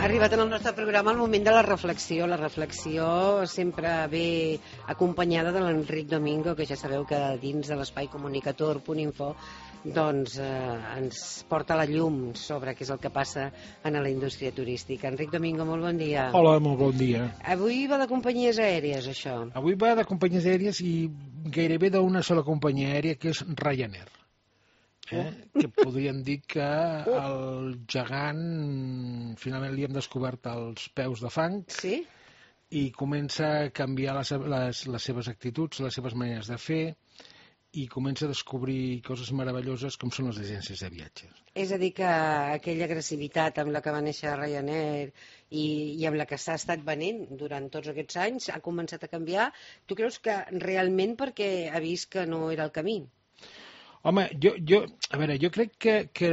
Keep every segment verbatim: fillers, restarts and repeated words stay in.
Ha arribat en el nostre programa el moment de la reflexió. La reflexió sempre ve acompanyada de l'Enric Domingo, que ja sabeu que dins de l'espai comunicator punt info doncs eh, ens porta la llum sobre què és el que passa en la indústria turística. Enric Domingo, molt bon dia. Hola, molt bon dia. Avui va de companyies aèries, això. Avui va de companyies aèries i gairebé d'una sola companyia aèria, que és Ryanair. Eh? Que podríem dir que el gegant finalment li hem descobert els peus de fang. Sí? I comença a canviar les, les, les seves actituds, les seves maneres de fer, i comença a descobrir coses meravelloses com són les agències de viatges. És a dir, que aquella agressivitat amb la que va néixer Ryanair i, i amb la que s'ha estat venent durant tots aquests anys ha començat a canviar. Tu creus que realment perquè ha vist que no era el camí? Home, jo, jo, a veure, jo crec que, que,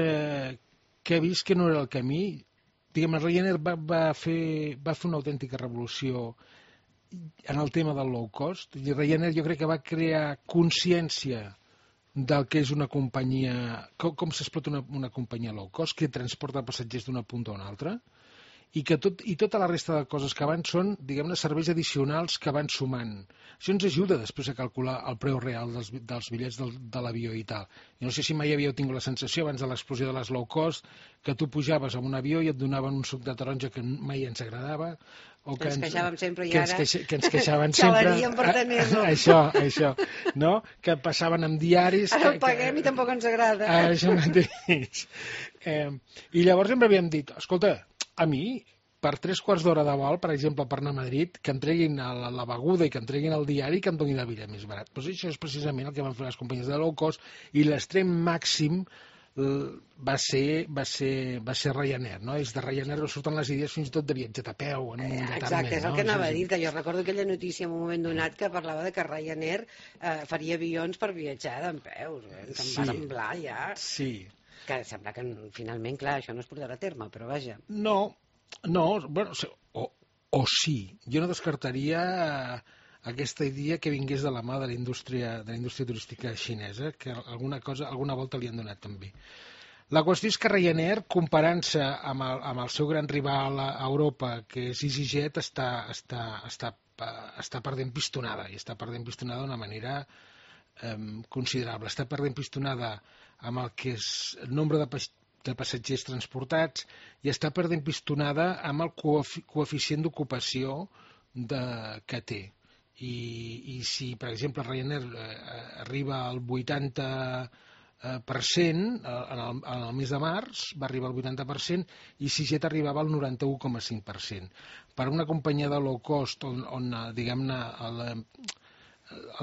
que he vist que no era el camí. Diguem, Ryanair va, va, fer, va fer una autèntica revolució en el tema del low cost. I Ryanair jo crec que va crear consciència del que és una companyia, com, com s'explota una, una companyia low cost, que transporta passatgers d'una punta a una altra, i que tot, i tota la resta de coses que van són, diguem-ne, serveis addicionals que van sumant. Això ens ajuda després a calcular el preu real dels, dels bitllets del, de l'avió i tal. Jo no sé si mai havíeu tingut la sensació, abans de l'explosió de les low cost, que tu pujaves a un avió i et donaven un suc de taronja que mai ens agradava, o que ens queixàvem sempre i que ara ens, que ens queixaven sempre. Xalaríem per tenir-lo. Això, això, no? Que passaven amb diaris. Ara que, el paguem que, i tampoc ens agrada. Això mateix. Eh, I llavors sempre havíem dit, escolta, a mi, per tres quarts d'hora de vol, per exemple, per anar a Madrid, que em treguin la, la beguda i que em treguin el diari i que em donin el bitllet més barat. Pues això és precisament el que van fer les companyies de low cost, i l'extrem màxim va ser, va ser, va ser Ryanair, no? És de Ryanair surten les idees fins i tot de viatjar a peu en un eh, determinat, exacte, és el no? que anava a dir, que jo recordo aquella notícia en un moment donat que parlava de que Ryanair eh, faria avions per viatjar d'en peus, eh? Te'n Sí. va semblar ja, Sí. que sembla que finalment, clar, això no es portarà a terme, però vaja. No, no, bueno, o, o sí, jo no descartaria aquesta idea que vingués de la mà de la indústria, de la indústria turística xinesa, que alguna cosa, alguna volta li han donat també. La qüestió és que Ryanair, comparant-se amb, el, amb el seu gran rival a Europa, que és EasyJet, està, està, està, està perdent pistonada, i està perdent pistonada d'una manera eh, considerable. Està perdent pistonada amb el que és el nombre de, pas, de passatgers transportats, i està perdent pistonada amb el coefi, coeficient d'ocupació que té. I, i si, per exemple, Ryanair eh, arriba al vuitanta per cent en el, en el mes de març, va arribar al vuitanta per cent, i EasyJet arribava al noranta-u coma cinc per cent. Per una companyia de low cost on, on diguem-ne, el,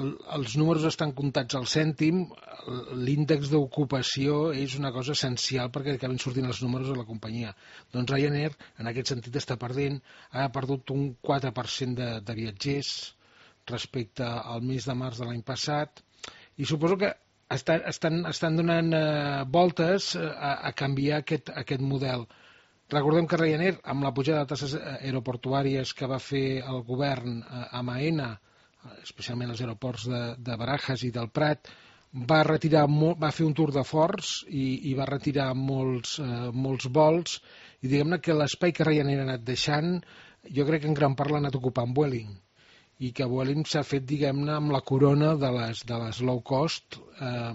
el, els números estan comptats al cèntim, l'índex d'ocupació és una cosa essencial perquè acabin sortint els números de la companyia. Doncs Ryanair, en aquest sentit, està perdent, ha perdut un quatre per cent de, de viatgers respecte al mes de març de l'any passat, i suposo que estan, estan, estan donant eh, voltes a, a canviar aquest, aquest model. Recordem que Ryanair, amb la pujada de tasses aeroportuàries que va fer el govern a Maena, especialment als aeroports de, de Barajas i del Prat, va, retirar molt, va fer un tour de forts i, i va retirar molts, eh, molts vols, i diguem-ne que l'espai que Ryanair ha anat deixant, jo crec que en gran part l'ha anat ocupant Vueling, i que Vueling s'ha fet, diguem-ne, amb la corona de les, de les low cost eh,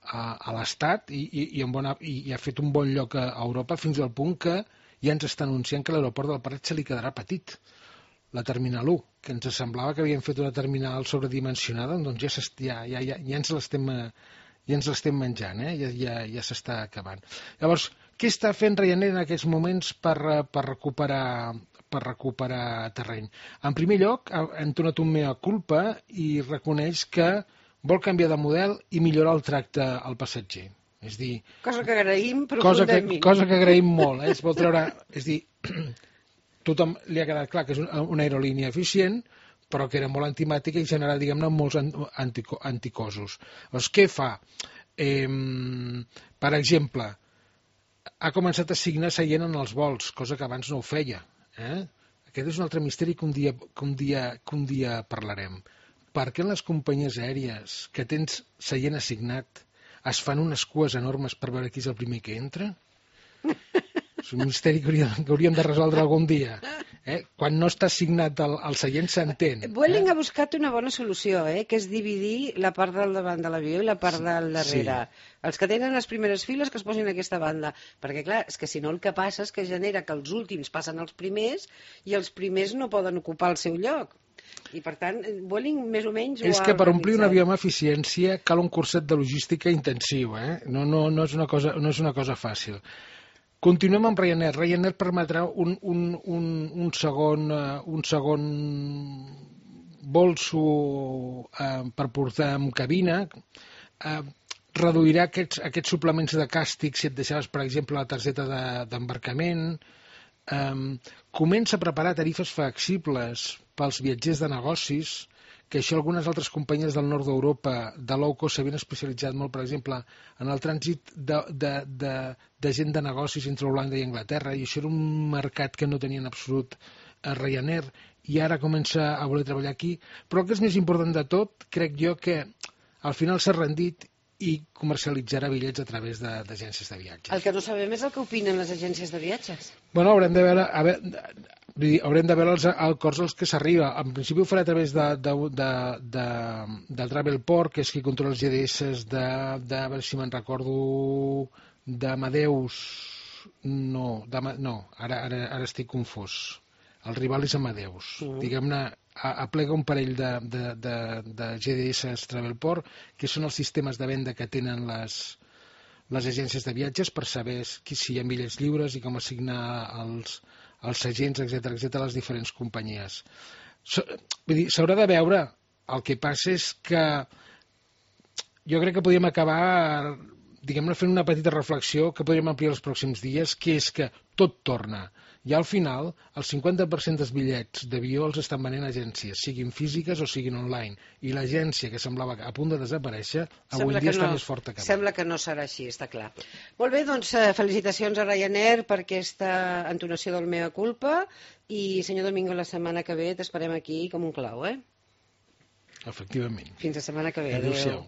a, a l'Estat, i, i, i, bona, i, i ha fet un bon lloc a Europa, fins al punt que ja ens està anunciant que l'aeroport del Prat se li quedarà petit, la Terminal u, que ens semblava que havien fet una terminal sobredimensionada, doncs ja, ja, ja, ja, ja ens l'estem ja ens l'estem menjant, eh? ja, ja, ja s'està acabant. Llavors, què està fent Ryanair en aquests moments per, per recuperar per recuperar terreny? En primer lloc, ha entonat un mea culpa i reconeix que vol canviar de model i millorar el tracte al passatger. És dir, cosa que agraïm cosa que, profundament. cosa que agraïm molt. Eh? Es vol treure, és dir, tothom li ha quedat clar que és una aerolínia eficient, però que era molt antimàtica i generava, diguem-ne, molts antico, anticosos. Llavors, què fa? Eh, per exemple, ha començat a assignar seient en els vols, cosa que abans no ho feia. Eh? Aquest és un altre misteri que un dia, que un dia, que un dia parlarem. Per què en les companyies aèries que tens seient assignat es fan unes cues enormes per veure qui és el primer que entra? És un misteri que hauríem, que hauríem de resoldre algun dia. Eh? Quan no està assignat el, el seient s'entén. Vueling eh? ha buscat una bona solució, eh? Que és dividir la part del davant de l'avió i la part Sí, del darrere. sí. Els que tenen les primeres files que es posin a aquesta banda. Perquè, clar, és que si no el que passa és que genera que els últims passen als primers i els primers no poden ocupar el seu lloc. I, per tant, Vueling més o menys ho És ha que per omplir un organitzat. avió amb eficiència cal un curset de logística intensiu, eh? No, no, no, és una cosa, no és una cosa fàcil. Continuem amb Ryanair. Ryanair permetrà un, un, un, un segon, uh, un segon bolso uh, per portar en cabina. Uh, reduirà aquests, aquests suplements de càstig si et deixaves, per exemple, la targeta d'embarcament. De, um, comença a preparar tarifes flexibles pels viatgers de negocis, que això algunes altres companyies del nord d'Europa de low cost s'havien especialitzat molt, per exemple, en el trànsit de, de, de, de gent de negocis entre Holanda i Anglaterra, i això era un mercat que no tenia en absolut a Ryanair, i ara comença a voler treballar aquí. Però el que és més important de tot, crec jo que al final s'ha rendit i comercialitzarà bitllets a través d'agències de, de viatges. El que no sabem és el que opinen les agències de viatges. Bueno, haurem de veure, a veure, haurem de veure els acords als que s'arriba. En principi ho farà a través de, de, de, de, del Travelport, que és qui controla els G D S de, de a veure si me'n recordo, d'Amadeus. No, no ara, ara, ara estic confós. El rival és Amadeus. Mm. Diguem-ne, aplega un parell de, de, de, de G D S Travelport, que són els sistemes de venda que tenen les, les agències de viatges per saber qui, si hi ha bitllets lliures i com assignar els, els agents, etcètera, etcètera, a les diferents companyies. So, vull dir, s'haurà de veure. El que passa és que jo crec que podríem acabar, diguem-ne, fent una petita reflexió que podríem ampliar els pròxims dies, que és que tot torna. I al final, el cinquanta per cent dels bitllets d'avió els estan venent agències, siguin físiques o siguin online. I l'agència, que semblava a punt de desaparèixer, avui Sembla dia no, està més forta que mai. Sembla que no serà així, està clar. Molt bé, doncs felicitacions a Ryanair per aquesta entonació del mea culpa i, senyor Domingo, la setmana que ve t'esperem aquí com un clau, eh? Efectivament. Fins la setmana que ve. Adéu-siau.